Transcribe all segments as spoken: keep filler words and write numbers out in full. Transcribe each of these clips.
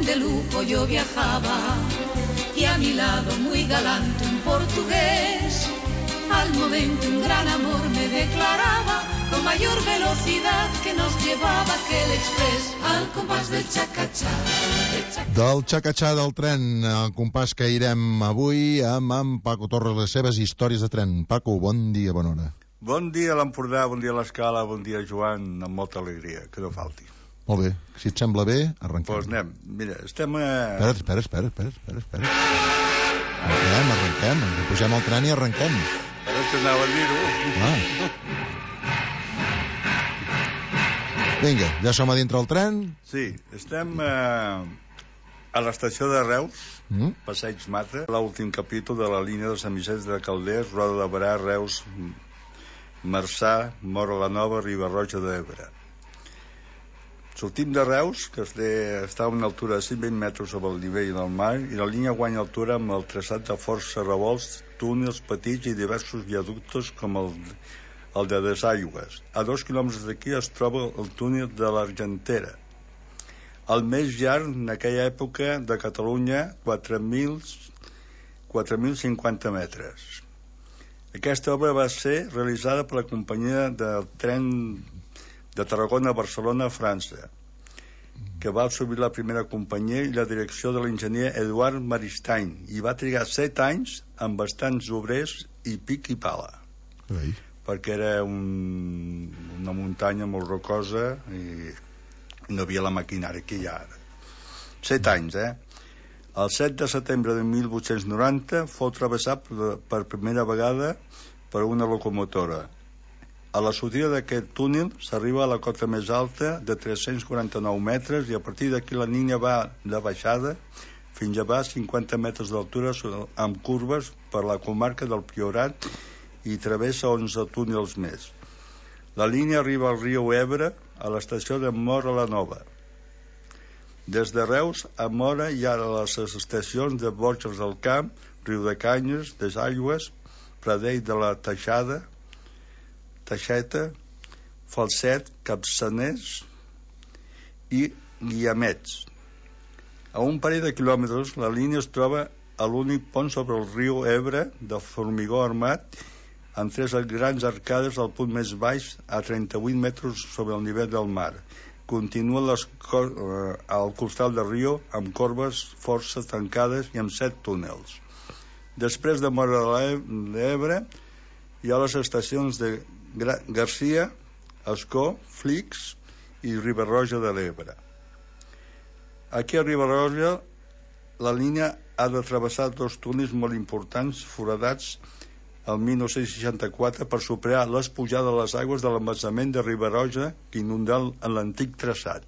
tren de lujo yo viajaba y a mi lado muy galante un portugués. Al momento un gran amor me declaraba con mayor velocidad que nos llevaba aquel express al compàs del xacatxà. Del xacatxà del tren, el compàs que irem avui amb, amb Paco Torres, les seves històries de tren. Paco, bon dia, bona hora. Bon dia a l'Empordà, bon dia a l'Escala, bon dia Joan, amb molta alegria, que no falti. Molt bé, si et sembla bé, arrenquem. Doncs pues anem, mira, estem a... Espera, espera, espera, espera, espera. Arrenquem, arrenquem, ens pugem al tren i arrenquem. Ara t'anava a dir-ho. Ah. Vinga, ja som a dintre del tren? Sí, estem a, a l'estació de Reus, mm? Passeig Mata, l'últim capítol de la línia de Sant Vicenç de Calders, Roda de Berà, Reus, Marçà, Móra la Nova, Riba-roja d'Ebre. Sortim de Reus, que està a una altura de cent vint metres sobre el nivell del mar, i la línia guanya altura amb el traçat de força revolts, túnels petits i diversos viaductes com el, el de Desaigües. A dos quilòmetres d'aquí es troba el túnel de l'Argentera, el més llarg en aquella època de Catalunya, quatre mil cinquanta metres. Aquesta obra va ser realitzada per la companyia del tren de Tarragona a Barcelona, a França, que va assumir la primera companyia i la direcció de l'enginyer Eduard Maristany, i va trigar set anys amb bastants obrers i pic i pala. Ei. Perquè era un, una muntanya molt rocosa i no havia la maquinària que hi ha ara. Set anys, eh? El set de setembre de mil vuit-cents noranta fou travessat per primera vegada per una locomotora. A la sortida d'aquest túnel s'arriba a la cota més alta de tres-cents quaranta-nou metres i a partir d'aquí la línia va de baixada fins a baix cinquanta metres d'altura amb curves per la comarca del Priorat i travessa onze túnels més. La línia arriba al riu Ebre a l'estació de Móra la Nova. Des de Reus a Móra hi ha les estacions de Borges del Camp, Riudecanyes, Desaigües, Pradell de la Teixada, Teixeta, Falset, Capçaners i Guiamets. A un parell de quilòmetres la línia es troba a l'únic pont sobre el riu Ebre de formigó armat amb tres grans arcades al punt més baix a trenta-vuit metres sobre el nivell del mar. Continua les cor- eh, al costat del riu amb corbes força tancades i amb set túnels. Després de Móra d'Ebre hi ha les estacions de Gra- Garcia, Ascó, Flix i Riba-roja de l'Ebre. Aquí a Riba-roja la línia ha de travessar dos túnels molt importants foradats el mil nou-cents seixanta-quatre per superar les pujades de les aigües de l'embassament de Riba-roja que inundà l'antic traçat.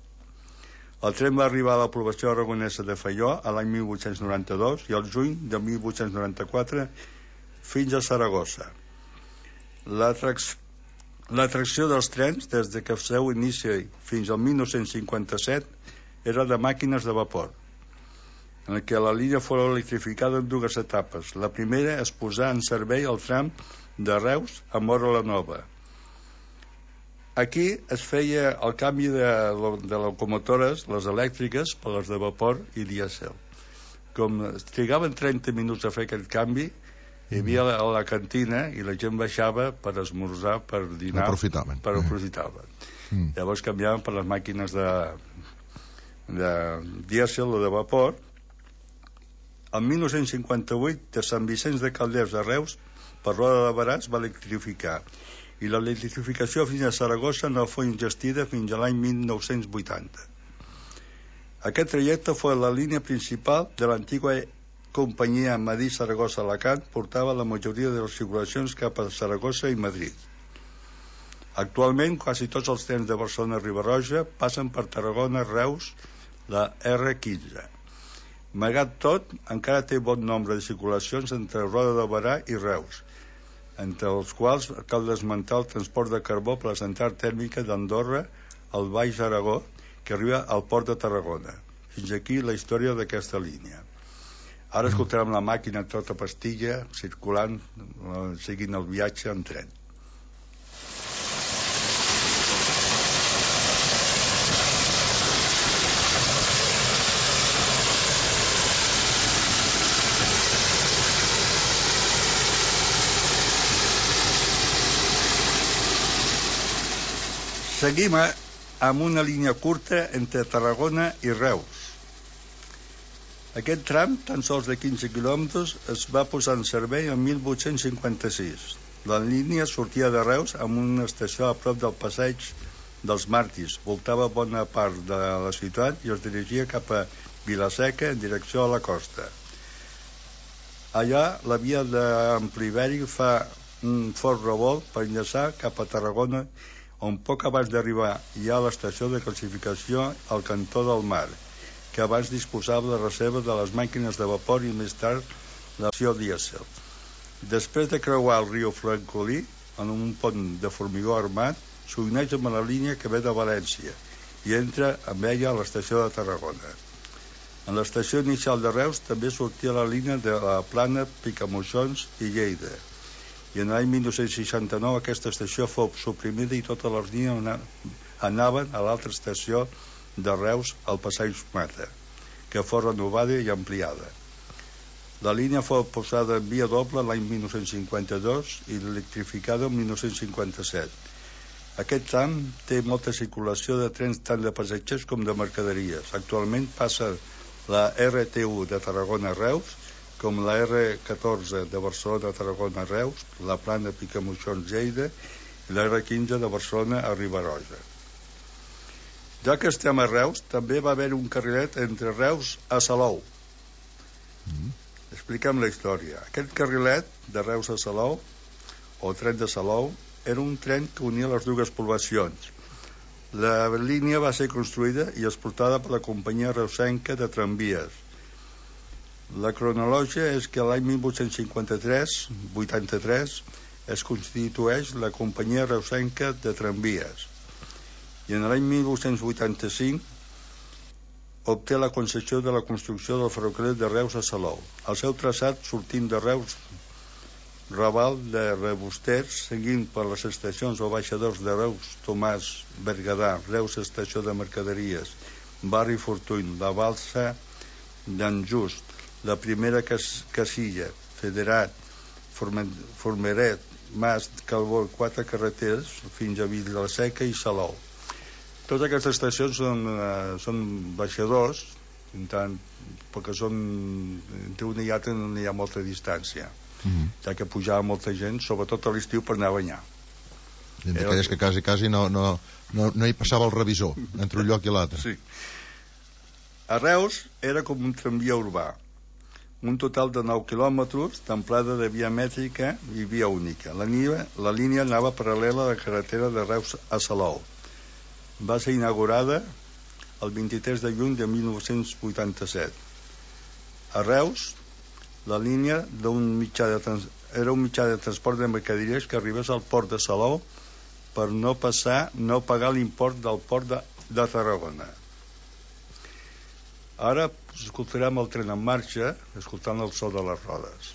El tren va arribar a la població aragonesa de Faió a l'any mil vuit-cents noranta-dos i al juny de mil vuit-cents noranta-quatre fins a Saragossa. L'atracció L'atracció dels trens, des de que el seu inici fins al mil nou-cents cinquanta-set, era de màquines de vapor, en què la línia fou electrificada en dues etapes. La primera es posà en servei al tram de Reus a Móra la Nova. Aquí es feia el canvi de, de locomotores, les elèctriques, per les de vapor i dièsel. Com trigaven trenta minuts a fer aquest canvi, hi havia a la cantina i la gent baixava per esmorzar, per dinar, aprofitaven. per aprofitaven. Mm. Llavors canviaven per les màquines de, de dièsel o de vapor. El mil nou-cents cinquanta-vuit de Sant Vicenç de Calders a Reus per Roda de Berà es va electrificar i l'electrificació fins a Saragossa no fou ingestida fins a l'any mil nou-cents vuitanta. Aquest trajecte fou la línia principal de l'antiga companyia Madrid-Saragossa-Alacant, portava la majoria de les circulacions cap a Saragossa i Madrid. Actualment, quasi tots els trens de Barcelona-Riba-roja passen per Tarragona, Reus, la erre quinze. Malgrat tot, encara té bon nombre de circulacions entre Roda de Berà i Reus, entre els quals cal esmentar el transport de carbó per la central tèrmica d'Andorra al Baix Aragó, que arriba al port de Tarragona. Fins aquí la història d'aquesta línia. Ara escoltarem la màquina tota pastilla circulant, seguint el viatge en tren. Seguim amb una línia curta entre Tarragona i Reus. Aquest tram, tan sols de quinze quilòmetres, es va posar en servei en mil vuit-cents cinquanta-sis. La línia sortia de Reus amb una estació a prop del passeig dels Màrtirs, voltava bona part de la ciutat i es dirigia cap a Vilaseca en direcció a la costa. Allà la via d'Ampliveri fa un fort revolt per enllaçar cap a Tarragona, on poc abans d'arribar hi ha l'estació de classificació al cantó del Mar, que abans disposava de reserva de les màquines de vapor i més tard l'acció dièsel. Després de creuar el riu Francolí, en un pont de formigó armat, s'uneix amb la línia que ve de València i entra amb ella a l'estació de Tarragona. En l'estació inicial de Reus també sortia la línia de la Plana, Picamoixons i Lleida. I en l'any mil nou-cents seixanta-nou aquesta estació fou suprimida i totes les línies anaven a l'altra estació de Reus, al Passeig Mata, que fou renovada i ampliada. La línia fou posada en via doble l'any mil nou-cents cinquanta-dos i electrificada en mil nou-cents cinquanta-set. Aquest tram té molta circulació de trens tant de passatgers com de mercaderies. Actualment passa la R T u de Tarragona-Reus, com la R catorze de Barcelona-Tarragona-Reus, la Plana Picamoixons-Lleida i la R quinze de Barcelona a Riba-roja. Ja que estem a Reus, també va haver un carrilet entre Reus a Salou. Mm. Expliquem la història. Aquest carrilet de Reus a Salou, o tren de Salou, era un tren que unia les dues poblacions. La línia va ser construïda i explotada per la companyia reusenca de tramvies. La cronologia és que l'any mil vuit-cents cinquanta-tres vuitanta-tres es constitueix la companyia reusenca de tramvies i en l'any mil vuit-cents vuitanta-cinc obté la concessió de la construcció del ferrocarril de Reus a Salou. El seu traçat sortint de Reus, Raval de Rebusters, seguint per les estacions o baixadors de Reus, Tomàs, Berguedà, Reus Estació de Mercaderies, Barri Fortuny, la Balsa d'en Just, la primera cas Casilla, Federat, Formeret, Mas, Calbó, quatre carreteres fins a Vilaseca i Salou. Totes aquestes estacions són, uh, són baixadors, tant, perquè són, entre una i altra no hi ha molta distància. Mm-hmm. Ja que pujava molta gent, sobretot a l'estiu, per anar a banyar. I d'aquelles que quasi, quasi no, no, no, no hi passava el revisor entre un lloc i l'altre. Sí. A Reus era com un tramvia urbà, un total de nou quilòmetres d'amplada de via mètrica i via única. La línia, la línia anava paral·lela a la carretera de Reus a Salou. Va ser inaugurada el vint-i-tres de juny de mil nou-cents vuitanta-set. A Reus, la línia d'un mitjà de trans... era un mitjà de transport de mercaderies que arribés al port de Salou per no passar, no pagar l'import del port de, de Tarragona. Ara escoltarem el tren en marxa, escoltant el so de les rodes.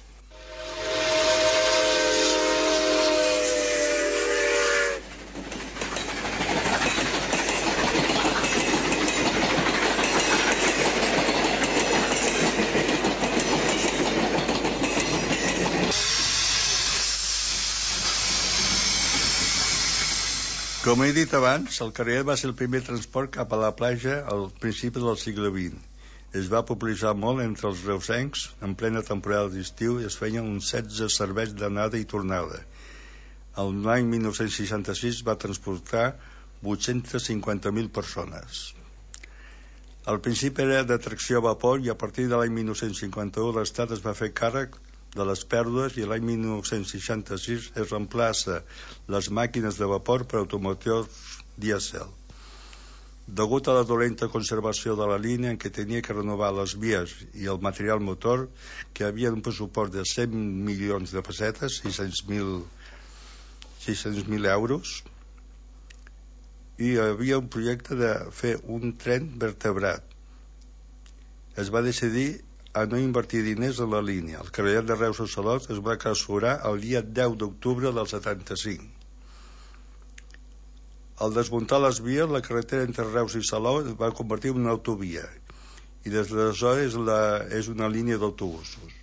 Com he dit abans, el carrilet va ser el primer transport cap a la platja al principi del segle vint. Es va popularitzar molt entre els reusencs en plena temporada d'estiu i es feien uns setze serveis d'anada i tornada. L'any mil nou-cents seixanta-sis va transportar vuit-cents cinquanta mil persones. Al principi era de tracció a vapor i a partir de l'any mil nou-cents cinquanta-u l'Estat es va fer càrrec de les pèrdues i l'any mil nou-cents seixanta-sis es reemplaça les màquines de vapor per automotors dièsel. Degut a la dolenta conservació de la línia en què tenia que renovar les vies i el material motor, que havia un pressupost de cent milions de pessetes, sis-cents mil euros, i hi havia un projecte de fer un tren vertebrat. Es va decidir a no invertir diners en la línia. El carrilet de Reus a Salou es va clausurar el dia deu d'octubre del setanta-cinc. Al desmuntar les vies, la carretera entre Reus i Salou es va convertir en una autovia i des d'aleshores la, és una línia d'autobusos.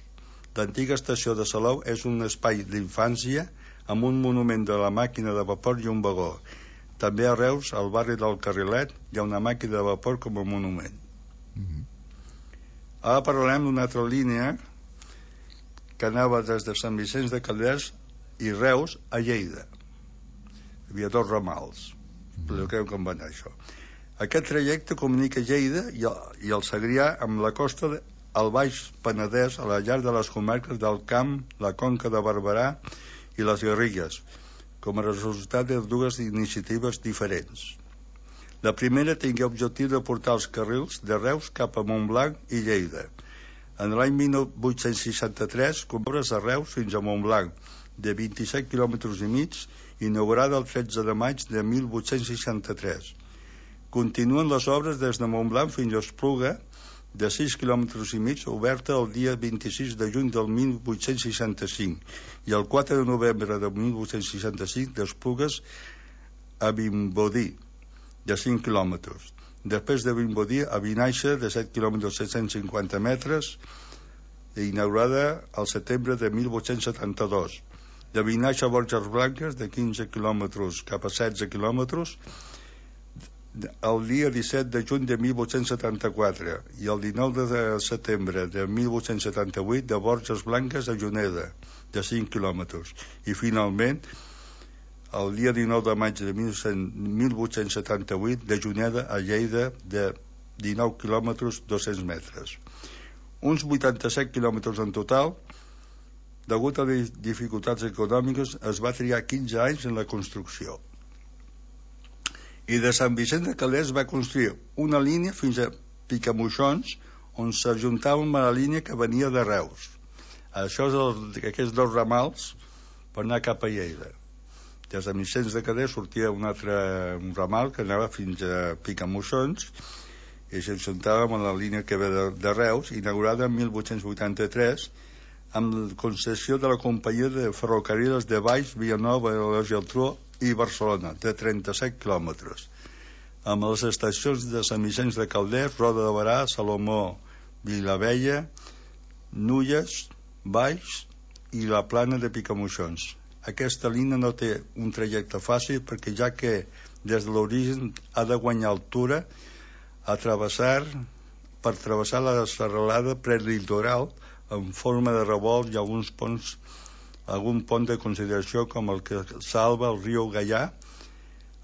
L'antiga estació de Salou és un espai d'infància amb un monument de la màquina de vapor i un vagó. També a Reus, al barri del Carrilet, hi ha una màquina de vapor com a monument. Mm-hmm. Ara parlarem d'una altra línia que anava des de Sant Vicenç de Calders i Reus a Lleida. Hi havia dos ramals. Expliqueu com va anar això. Aquest trajecte comunica Lleida i el, i el Segrià amb la costa de, al Baix Penedès, a la llar de les comarques del Camp, la Conca de Barberà i les Garrigues, com a resultat de dues iniciatives diferents. La primera tingué objectiu de portar els carrils de Reus cap a Montblanc i Lleida. En l'any mil vuit-cents seixanta-tres, obres a Reus fins a Montblanc, de vint-i-set quilòmetres i mig, inaugurada el tretze de maig de mil vuit-cents seixanta-tres. Continuen les obres des de Montblanc fins a Espluga, de sis quilòmetres i mig, oberta el dia vint-i-sis de juny del mil vuit-cents seixanta-cinc, i el quatre de novembre de mil vuit-cents seixanta-cinc d'Esplugues a Vimbodí, de cinc quilòmetres. Després de Vimbodí a Vinaixa, de set quilòmetres set-cents cinquanta metres, inaugurada al setembre de mil vuit-cents setanta-dos. De Vinaixa a Borges Blanques, de quinze quilòmetres cap a setze quilòmetres, el dia disset de juny de mil vuit-cents setanta-quatre, i el dinou de setembre de mil vuit-cents setanta-vuit de Borges Blanques a Juneda, de cinc quilòmetres. I finalment, el dia dinou de maig de mil vuit-cents setanta-vuit de Juneda a Lleida, de dinou quilòmetres dos-cents metres. Uns vuitanta-set quilòmetres en total. Degut a les dificultats econòmiques, es va triar quinze anys en la construcció. I de Sant Vicenç de Calders va construir una línia fins a Picamoixons, on s'ajuntava amb la línia que venia de Reus. Això és el, aquests dos ramals per anar cap a Lleida. De Sant Vicenç de Calders sortia un altre un ramal que anava fins a Picamoixons i s'ajuntava amb la línia que ve de, de Reus, inaugurada en mil vuit-cents vuitanta-tres, amb concessió de la companyia de ferrocarrils de Valls, Vilanova, la Geltrú i Barcelona, de trenta-set quilòmetres, amb les estacions de Sant Vicenç de Calders, Roda de Barà, Salomó, Vilavella, Nulles, Valls i la Plana de Picamoixons. Aquesta línia no té un trajecte fàcil perquè ja que des de l'origen ha de guanyar altura a travessar, per travessar la serralada prelitoral en forma de revolt i alguns ponts, algun pont de consideració com el que salva el riu Gaià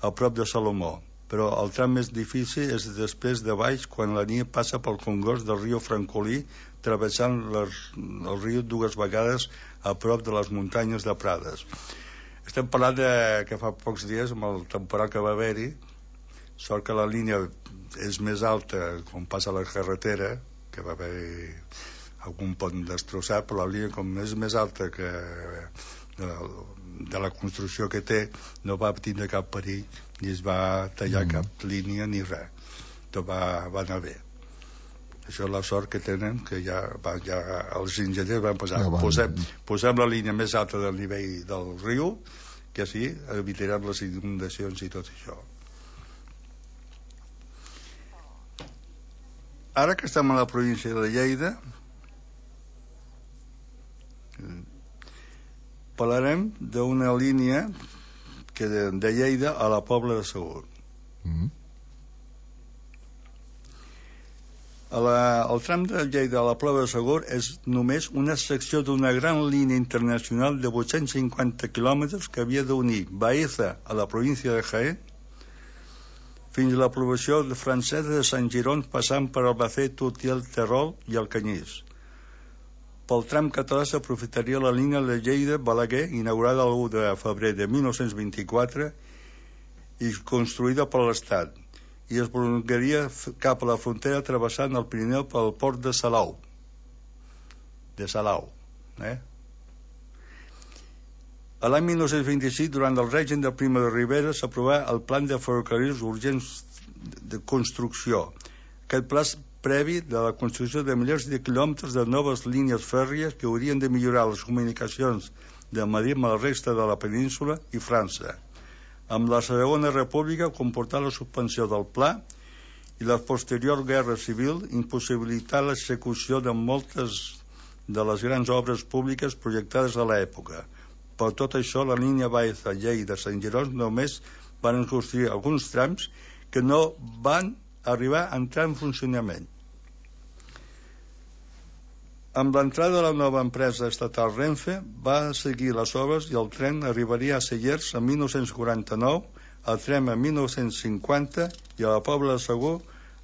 a prop de Salomó. Però el tram més difícil és després de baix, quan la línia passa pel congost del riu Francolí, travessant les, el riu dues vegades a prop de les muntanyes de Prades. Estem parlant de, que fa pocs dies, amb el temporal que va haver-hi, sort que la línia és més alta quan passa la carretera, que va haver algun pont destrossat, però la línia com és més alta que de, de la construcció que té, no va tindre cap perill ni es va tallar mm. cap línia ni res. Tot va, va anar bé. Això és la sort que tenen, que ja, va, ja els enginyers van posar, ja posem, posem la línia més alta del nivell del riu, que així evitarem les inundacions i tot això. Ara que estem a la província de Lleida, parlarem d'una línia que de, de Lleida a la Pobla de Segur. Mm. A la, el tram de Lleida a la Pobla de Segur és només una secció d'una gran línia internacional de vuit-cents cinquanta quilòmetres que havia d'unir Baeza a la província de Jaén fins a la població francesa de Sant Girón, passant per Albacete, Utiel, Terol i Alcanyís. Pel tram català s'aprofitaria la línia de Lleida-Balaguer, inaugurada el u de febrer de mil nou-cents vint-i-quatre i construïda per l'Estat, i es prolongaria cap a la frontera travessant el Pirineu pel port de Salau. De Salau. Eh? A l'any mil nou-cents vint-i-sis, durant el règim de Primo de Rivera, s'aprovà el Pla de Ferrocarrils Urgents de Construcció. Aquest pla previ de la construcció de milers de quilòmetres de noves línies fèrries que haurien de millorar les comunicacions de Madrid amb la resta de la península i França. Amb la Segona República comportà la suspensió del pla i la posterior guerra civil impossibilità l'execució de moltes de les grans obres públiques projectades a l'època. Per tot això, la línia Baeza-Lleida-Sant Girón només van construir alguns trams que no van arribar a entrar en funcionament. Amb l'entrada de la nova empresa estatal Renfe va seguir les obres i el tren arribaria a Cellers en mil nou-cents quaranta-nou, el tren en mil nou-cents cinquanta i a la Pobla de Segur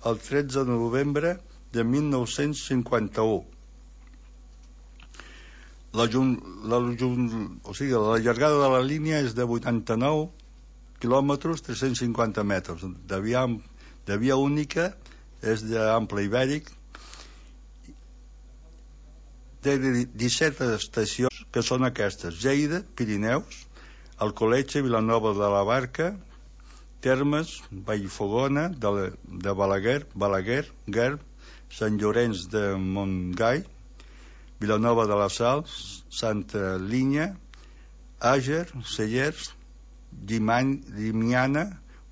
el tretze de novembre de mil nou-cents cinquanta-u. La, la, o sigui, la llargada de la línia és de vuitanta-nou quilòmetres, tres-cents cinquanta metres. De via, de via única, és d'ample ibèric. Té disset estacions, que són aquestes: Lleida, Pirineus, Alcoletge, Vilanova de la Barca, Termes, Vallfogona, de, de Balaguer, Balaguer, Gerb, Sant Llorenç de Montgai, Vilanova de la Sal, Santa Linya, Àger, Cellers, Llimiana,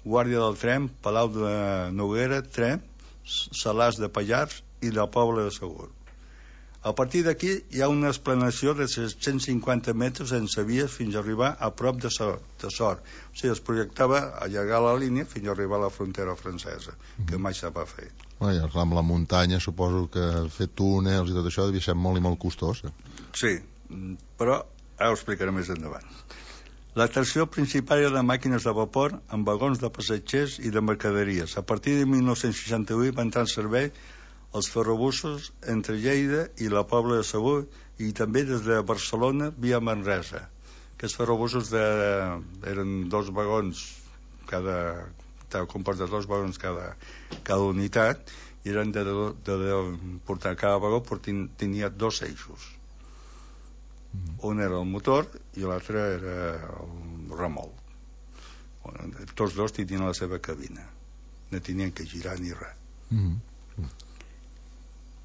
Guàrdia del Tren, Palau de Noguera, Tren, Salàs de Pallars i la Pobla de Segur. A partir d'aquí hi ha una esplanació de set-cents cinquanta metres sense vies fins a arribar a prop de Sort. De Sort. O sigui, es projectava allargar la línia fins a arribar a la frontera francesa, que mai se va fer. Bueno, amb la muntanya suposo que fer túnels i tot això devia ser molt i molt costós. Sí, però ara ho explicaré més endavant. L'atracció principal era de màquines de vapor amb vagons de passatgers i de mercaderies. A partir de mil nou-cents seixanta-vuit van entrar en servei els ferrobussos entre Lleida i la Pobla de Segur i també des de Barcelona via Manresa. Aquests ferrobussos de, eren dos vagons cada, estava compost de dos vagons cada, cada unitat i eren de, de, de, de portar cada vagó tenia dos eixos. Un era el motor i l'altre era el remolc. Tots dos tenien la seva cabina, no tenien que girar ni res. Mm-hmm.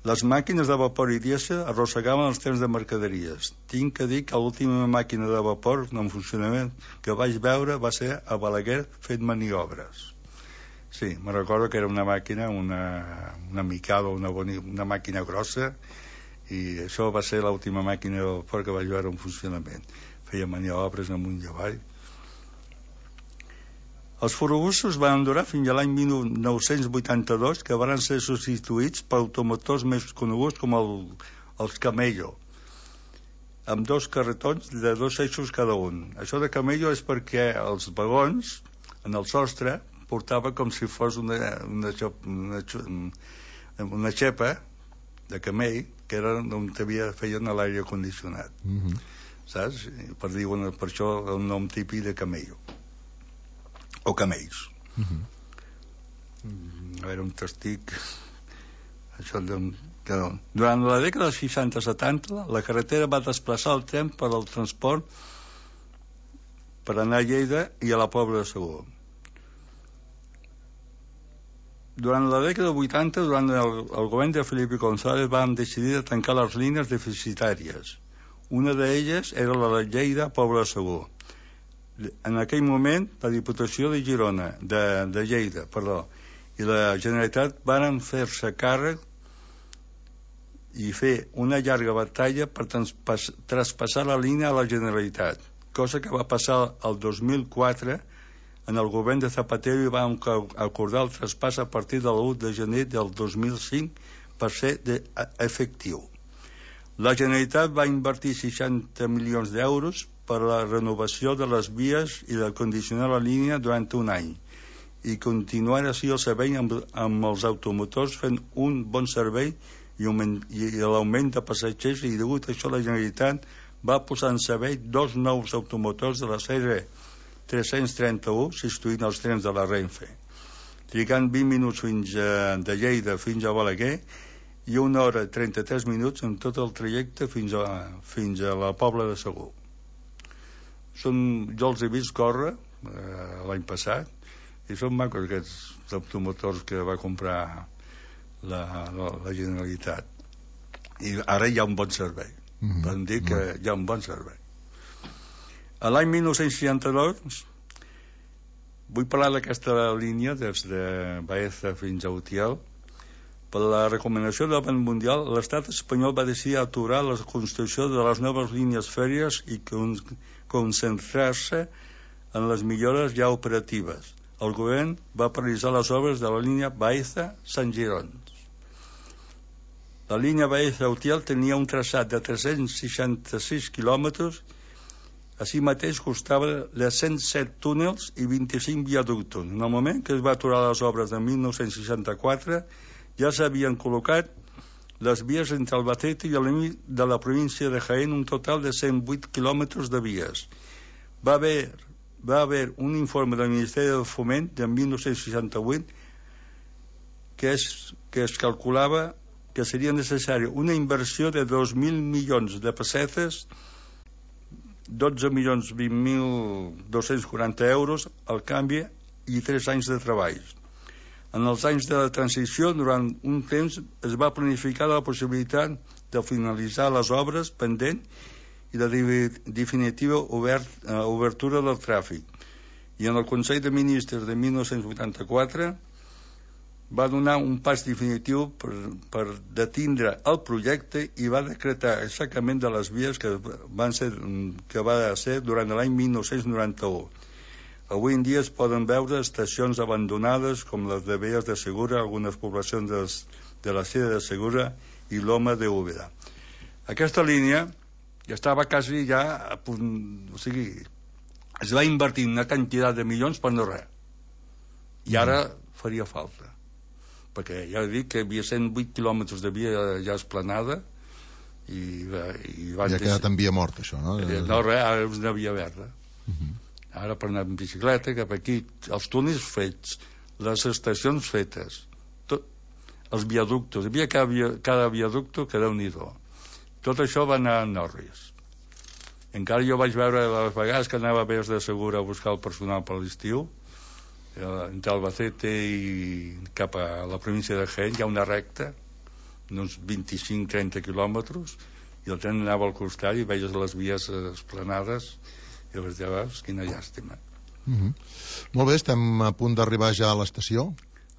Les màquines de vapor i dièsel arrossegaven els trens de mercaderies. Tinc que dir que l'última màquina de vapor en funcionament que vaig veure va ser a Balaguer fent maniobres. Sí, me recordo que era una màquina, una, una micada, una, boni, una màquina grossa, i això va ser l'última màquina de vapor que vaig veure en funcionament. Feia maniobres amunt i avall. Els ferrobussos van durar fins a l'any mil nou-cents vuitanta-dos, que van ser substituïts per automotors més coneguts com el, els Camello, amb dos carretons de dos eixos cada un. Això de Camello és perquè els vagons, en el sostre, portava com si fos una, una, una, una xepa de camell, que era on havia, feien l'aire condicionat. Mm-hmm. Saps? Per, dir, per això el nom típic de Camello. O camells. Uh-huh. A veure, un testic. Això de, que, durant la dècada dels seixanta setanta la carretera va desplaçar el tren per al transport per anar a Lleida i a la Pobla de Segur. Durant la dècada vuitanta, durant el, el govern de Felipe González, van decidir de tancar les línies deficitàries. Una d'elles era la de Lleida, Pobla de Segur. En aquell moment la Diputació de Girona de, de Lleida, perdó, i la Generalitat van fer-se càrrec i fer una llarga batalla per transpas, traspassar la línia a la Generalitat, cosa que va passar el dos mil quatre en el govern de Zapatero i van acordar el traspàs a partir de l'u de gener del dos mil cinc per ser de, efectiu. La Generalitat va invertir seixanta milions d'euros per a la renovació de les vies i de condicionar la línia durant un any i continuar així el servei amb, amb els automotors fent un bon servei i, augment, i l'augment de passatgers, i degut a això la Generalitat va posar en servei dos nous automotors de la sèrie tres-cents trenta-u substituint els trens de la Renfe, trigant vint minuts fins a, de Lleida fins a Balaguer i una hora i trenta-tres minuts en tot el trajecte fins a, fins a la Pobla de Segur. Són, jo els he vist córrer eh, l'any passat i són macos aquests automotors que va comprar la, la, la Generalitat, i ara hi ha un bon servei. Mm-hmm. Podem dir que hi ha un bon servei. A l'any mil nou-cents seixanta-dos vull parlar d'aquesta línia des de Baeza fins a Utiel. Per la recomanació del Banc Mundial, l'estat espanyol va decidir aturar la construcció de les noves línies fèrries i con concentrar-se en les millores ja operatives. El govern va paralitzar les obres de la línia Baeza-Sant Girons. La línia Baeza-Utiel tenia un traçat de tres-cents seixanta-sis quilòmetres. Així mateix costava de cent set túnels i vint-i-cinc viaductos. En el moment que es va aturar les obres de mil nou-cents seixanta-quatre, ja s'havien col·locat les vies entre Albacete i el límit de la província de Jaén, un total de cent vuit quilòmetres de vies. Va haver, va haver un informe del Ministeri del Foment de mil nou-cents seixanta-vuit que es, que es calculava que seria necessària una inversió de dos mil milions de pessetes, dotze milions vint mil dos-cents quaranta euros al canvi i tres anys de treball. En els anys de la transició, durant un temps, es va planificar la possibilitat de finalitzar les obres pendents i la definitiva obert, uh, obertura del tràfic. I en el Consell de Ministres de mil nou-cents vuitanta-quatre va donar un pas definitiu per, per detindre el projecte i va decretar el saquejament de les vies que, van ser, que va ser durant l'any mil nou-cents noranta-u. Avui en dia es poden veure estacions abandonades com les de Belles de Segura, algunes poblacions de, de la Sierra de Segura i l'Oma de Úbeda. Aquesta línia ja estava quasi ja a punt, o sigui, es va invertir una quantitat de milions per no res. I ara faria falta. Perquè ja he dit que hi havia cent vuit quilòmetres de via ja esplanada i, i van ja ha quedat en via morta, això, no? No, res, ara és una via verda. Uh-huh. Ara per anar en bicicleta cap aquí, els túnels fets, les estacions fetes, tot, els viaductos, hi havia cada, cada viaducto que Déu-n'hi-do. Tot això va anar en orris. Encara jo vaig veure les vegades que anava a Belles de Segura a buscar el personal per l'estiu, entre Albacete i cap a la província de Jaén hi ha una recta d'uns vint-i-cinc a trenta quilòmetres i el tren anava al costat i veies les vies esplanades i les lleves, quina llàstima. Uh-huh. Molt bé, estem a punt d'arribar ja a l'estació.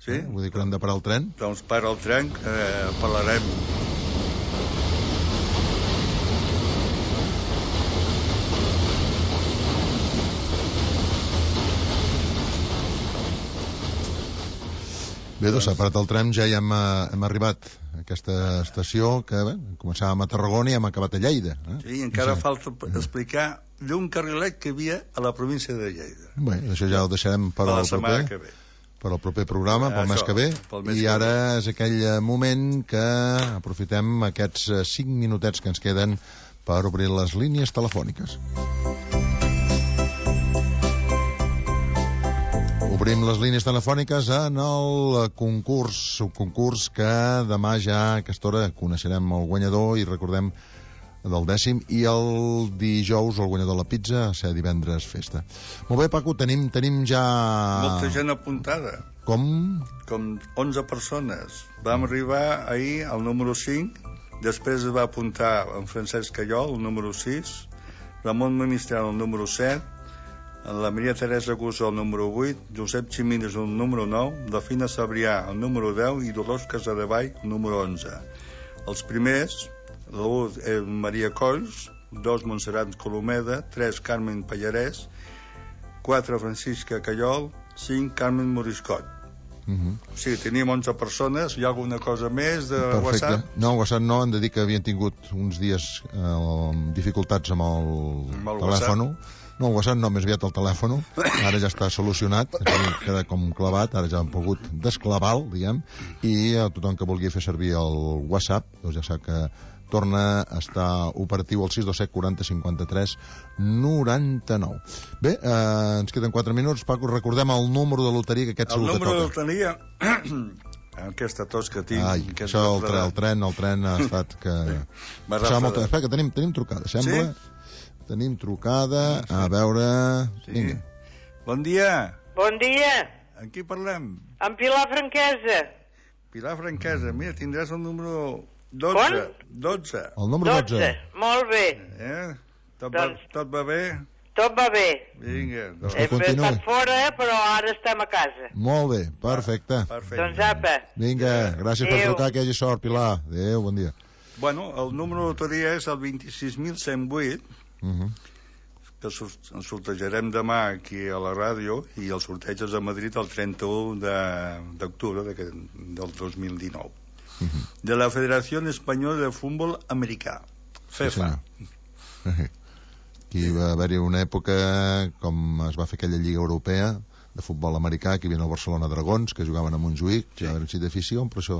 Sí? Eh? Vull dir que hem de parar el tren. Doncs para el tren, eh, parlarem. Bé, doncs s'ha parat el tren, ja hi hem, hem arribat a aquesta estació que bé, començàvem a Tarragona i hem acabat a Lleida. Eh? Sí, encara sí. falta explicar d'un carrilet que hi havia a la província de Lleida. Bé, això ja ho deixarem per, per al proper, que ve. per al proper programa, pel Això, mes que ve. mes I que ara ve. és aquell moment que aprofitem aquests cinc minutets que ens queden per obrir les línies telefòniques. Obrim les línies telefòniques en el concurs, un concurs que demà ja a aquesta hora coneixerem el guanyador i recordem del dècim, i el dijous el guanyador de la pizza, a ser divendres festa. Molt bé, Paco, tenim, tenim ja... Molta gent apuntada. Com? Com onze persones. Vam arribar ahir al número cinc, després es va apuntar en Francesc Callol, el número sis, Ramon Ministral, el número set, la Maria Teresa Gusó, el número vuit, Josep Ximines, el número nou, la Fina Sabrià, el número deu, i Dolors Casadevall, el número onze. Els primers, l'u és Maria Colls, dos Montserrat Colomeda, tres Carmen Pallarès, quatre Francisca Callol, cinc Carmen Moriscot. Uh-huh. O sigui, teníem onze persones. Hi ha alguna cosa més de Perfecte. WhatsApp? No, WhatsApp no, hem de dir que havien tingut uns dies eh, dificultats amb el, amb el telèfon. No, el WhatsApp no, més aviat el telèfon. Ara ja està solucionat, queda com clavat, ara ja han pogut desclavar-lo, diguem, i a tothom que vulgui fer servir el WhatsApp, doncs ja sap que torna a estar operatiu al sis dos set quaranta cinquanta-tres noranta-nou. Bé, eh, ens queden quatre minuts. Paco, recordem el número de loteria que aquest el segur que toca. El número de loteria... Aquesta tos que tinc... Ai, això, el, tre, el tren, el tren ha estat que... Molta... Espera, que tenim, tenim trucada, sembla? Sí? Tenim trucada, a veure... Sí. Vinga. Bon dia. Bon dia. Amb qui parlem? Amb Pilar Franquesa. Pilar Franquesa, mira, tindràs el número dotze. dotze. El número dotze. dotze. Molt bé. Eh? Tot, doncs... va, tot va bé? Tot va bé. Vinga. Doncs Hem estat fora, però ara estem a casa. Molt bé, perfecte. perfecte. Doncs apa. Vinga, gràcies Adeu. per trucar, que hi hagi sort, Pilar. Adéu, bon dia. Bueno, el número de loteria és el vint-i-sis mil cent vuit, Uh -huh. que el sortejarem demà aquí a la ràdio i el sorteig és a Madrid el trenta-u d'octubre de, del dos mil dinou. Uh-huh. De la Federació Espanyola de Futbol Americà, FIFA. Sí, aquí va haver-hi una època, com es va fer aquella Lliga Europea de futbol americà, que hi havia el Barcelona Dragons, que jugaven a Montjuïc, sí. Ja eren sí d'afició, però això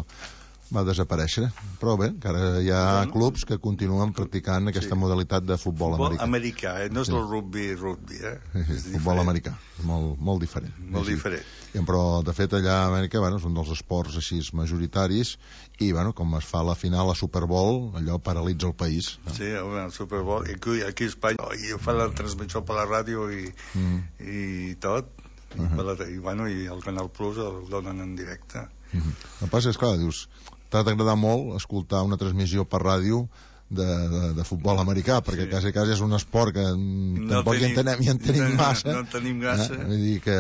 va desaparèixer. Però bé, encara hi ha bueno, clubs que continuen practicant aquesta sí. modalitat de futbol, futbol americà. americà, eh? No és sí. el rugby, rugby, eh? Sí, sí, futbol americà, molt, molt diferent. Molt sí. diferent. I, però, de fet, allà a Amèrica, bueno, és un dels esports així majoritaris i, bueno, com es fa a la final a Super Bowl, allò paralitza el país. No? Sí, el Super Bowl. I aquí, aquí a Espanya, i fa la transmissió per la ràdio i, mm. i tot. I, uh -huh. la, i, bueno, i el Canal Plus el donen en directe. Uh -huh. El que passa és, clar, dius, t'ha d'agradar molt escoltar una transmissió per ràdio de, de, de futbol americà, perquè sí. quasi, quasi és un esport que no tampoc tenim, hi entenem, hi entenem no, massa. No, no tenim massa. Eh? Vull dir que,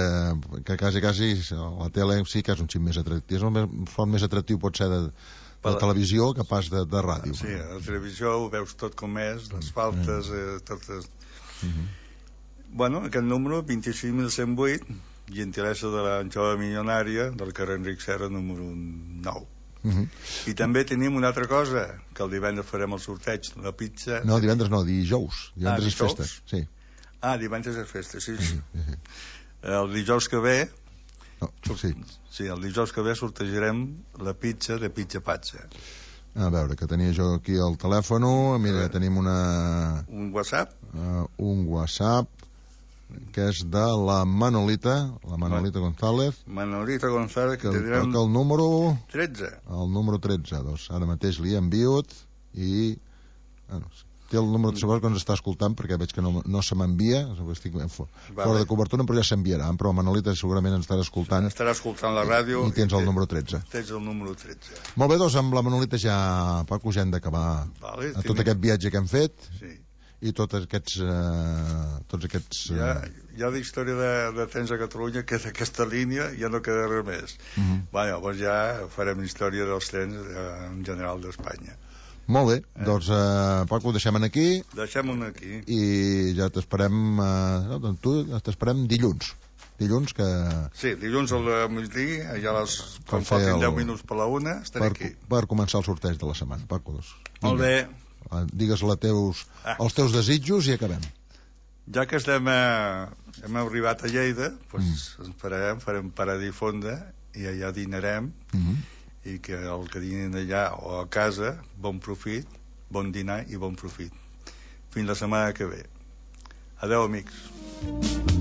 que quasi, quasi la tele sí que és un xic més atractiu. És un font més atractiu pot ser de, de la televisió que pas de, de ràdio. Sí, a la televisió ho veus tot com és, les faltes, eh, totes... Uh -huh. Bueno, aquest número, vint-i-sis mil cent vuit, gentilesa de la jove milionària del carrer Enric Serra, número nou. Uh -huh. I també tenim una altra cosa, que el divendres farem el sorteig, la pizza... No, divendres no, dijous. Divendres ah, és festa, sí. Ah, divendres és festa, sí. sí. Uh -huh. El dijous que ve... No, sí. Sí, el dijous que ve sortejarem la pizza de Pizza Pazza. A veure, que tenia jo aquí el telèfon, mira, tenim una... Un WhatsApp? Uh, un WhatsApp, que és de la Manolita, la Manolita González. Manolita González, que, que tindrem... Que el número... tretze. El número tretze, doncs ara mateix li he enviat i... Bueno, té el número de segons que ens està escoltant, perquè veig que no, no se m'envia, estic fora vale. de cobertura, però ja s'enviarà. Però Manolita segurament ens estarà escoltant. Estarà escoltant la ràdio. I, i tens el número tretze. Tens el número tretze. Molt bé, doncs amb la Manolita ja, Paco, ja hem d'acabar vale, a tot aquest viatge que hem fet. Sí. I tots aquests eh, tots aquests eh... ja, ja la història de, de trens a Catalunya, que és aquesta línia, ja no queda res més. Uh -huh. Bé, llavors ja farem història dels trens eh, en general d'Espanya. Molt bé, eh? doncs eh, Paco, deixem aquí deixem-ho aquí i ja t'esperem eh, no, doncs tu t'esperem dilluns dilluns que... Sí, dilluns al migdia, ja les, quan faltin el... deu minuts per la una, estaré per, aquí. Per començar el sorteig de la setmana, Paco. Doncs. Molt bé. Digues la teus, ah. els teus desitjos i acabem. Ja que estem a, hem arribat a Lleida, doncs mm. ens farem, farem parada i fonda i allà dinarem mm -hmm. i que el que dinin allà o a casa, bon profit, bon dinar i bon profit. Fins la setmana que ve. Adeu, amics.